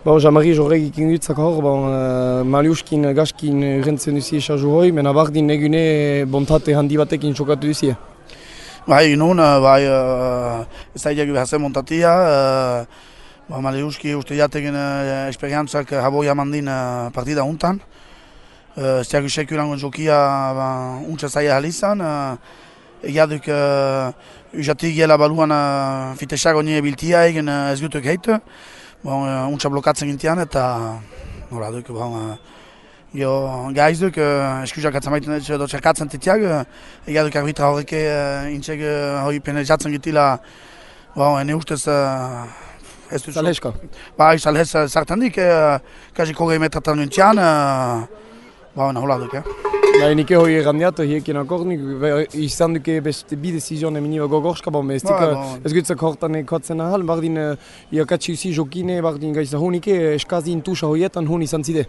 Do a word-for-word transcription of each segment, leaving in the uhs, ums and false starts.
Bon, Jean-Marie jorregik ingutzak hor, bon, uh, Maliuskin, Gaskin rentzen duzie esaju hoi, mena bardin egune bontate handi batekin txokatu duzie. Bai, nun, bai, uh, ez da idegu hazen montatia, uh, ba, Maliuski uste jategen uh, esperientzak haboi amandin uh, partida untan. Uh, ez diagu sekulangon jokia ba, untsa zaila halizan, uh, egiaduk uh, ujatik gela baluan uh, fitesago nire biltia egin uh, ez gutuk heitu. Bon, uh, untsa blokatzen gintian eta nola duk, bon, uh, jo gaizuk uh, eskuzak atzamaiten edo txerkatzen titiak, uh, egiaduk arbitra horreke uh, intxeg uh, hori penalizatzen gitila, bon, ene ustez uh, ez dut... Salheska? Bai, salhez uh, sartan dik, uh, kazi kogei metratan gintian, uh, bon, hola duk, eh? Bai, nike hori errandiat, hiekin akornik, izan duke beste bi desizioen eminiba gogorska, bon, ez dik ez gutzak hortan ekotzen ahal, bardin iakatsi usi jokine, bardin gaisa hunike, eskazin tusa hoietan hun izan zide.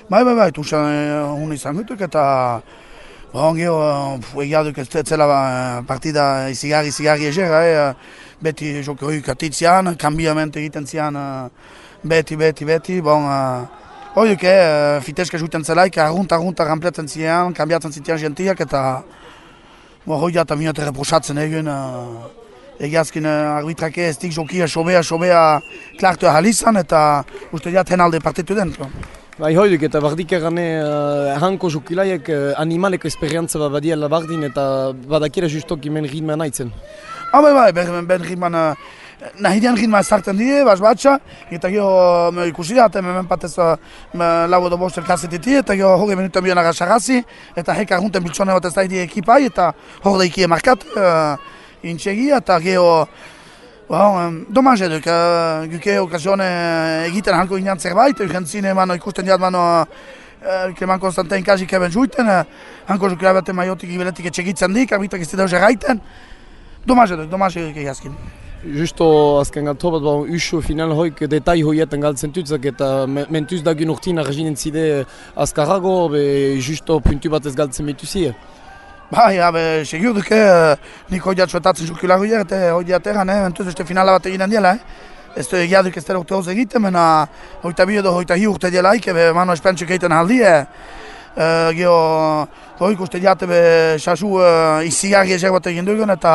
Bai, bai, bai, tusa hun izan gutuk eta bon, geho, egia duk ez zela partida izigarri, izigarri eger, eh, beti joki hori katitzian, kambiament egiten zian, beti, beti, beti, bon, Hoiuk, eh, fiteska juiten zelaik, arrunta, arrunta rampletzen ziren, kambiatzen zitean gentiak eta hoi eta minute reprosatzen egin. Uh, Egiazkin uh, arbitrake ez dik jokia, sobea, sobea klartu ahalizan eta uste diat henalde partitu den. Bai, hoiduk eta bardik errane uh, hanko jokilaiek uh, animaleko esperientza bat badiela bardin eta badakira justok imen ritman naitzen. Ah, bai, bai, ben, ben ritman... Uh, Nahidean ritma ezartzen die, bas batxa, eta gero me ikusi da, hemen patez lau edo bost elkarzetiti, eta gero hori minuta bion agasarrazi, eta heka arrunten biltzone bat ez da idi ekipai, eta hor da ikie markat, uh, intxegi, eta gero, bon, domaz eduk, uh, guke okazione egiten halko ginean zerbait, urgentzine mano ikusten diat mano uh, Kleman Konstantin kazik eben juiten, uh, hanko jukila baten maiotik ibeletik etxegitzen dik, arbitrak ez dira gaiten, domaz eduk, domaz eduk egazkin. Justo azken galto bat, bon, usu final hoik detai hoietan galtzen tutzak eta mentuz dagin urtin arginen zide azkarrago, be justo puntu bat ez galtzen betuzie. Bai, abe, segur duke, nik hoi jatsuetatzen jukila hoier eta hoi jateran, eh, mentuz este finala bat eginen diela, eh. Ez du egia duk ez dela urte hoz egiten, mena hoita bi edo hoita hi urte dielaik, ebe mano espentsuk egiten aldi, eh. Uh, Gio, hoik uste diate be sasu uh, izigarri ezer bat egin dugun eta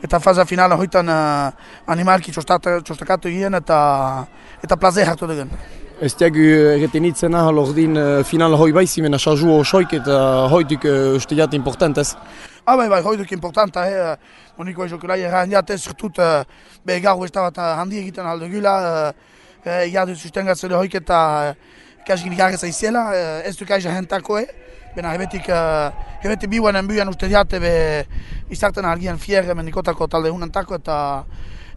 eta faza finala hoitan uh, animalki txostakatu egin eta eta plaze hartu dugun. Ez diagu erretenitzen ahal ordin uh, finala hoi baizi, mena sasu osoik eta hoituk uh, uste diate importantez. Ah, bai, bai, hoituk importanta, eh, moniko ezokulai erran diate, zertut uh, be gaur ez da bat handi egiten aldugula, uh, jadu sustengatzele hoik eta uh, Kaskin garrez aiziela, ez duk aiza jentako, eh? Bena hebetik, uh, hebetik biuanen buian uste diate be izarten argian fierre menikotako talde hunentako eta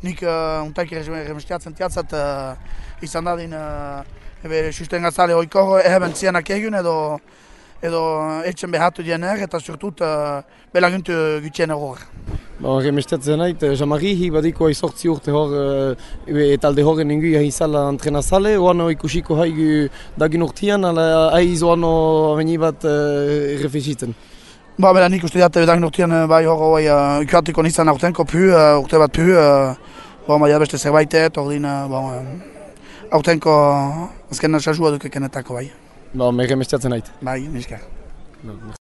nik uh, untaik remestiatzen tiatzat uh, izan dadin uh, ebe sustengatzale hoiko eheben zianak egin edo edo etxen behatu diener eta surtut uh, belaguntu gutxien eror. Bon, remestiatzen nahi, Jean-Marie hi badiko aizortzi urte hor e, talde horren ingu jahi zala entrenazale, oano ikusiko haigu dagin urtean, ala aiz oano aveni bat uh, refezitzen. Ba, bera nik uste diate dagin urtean bai hor hoi uh, ikatiko nizan aurtenko pu, uh, urte bat pu, uh, bon, bai beste zerbaitet, ordin, uh, bon, uh, aurtenko azken nasazua duke kenetako bai. Ba, me remestiatzen nahi. Bai, niskar. No,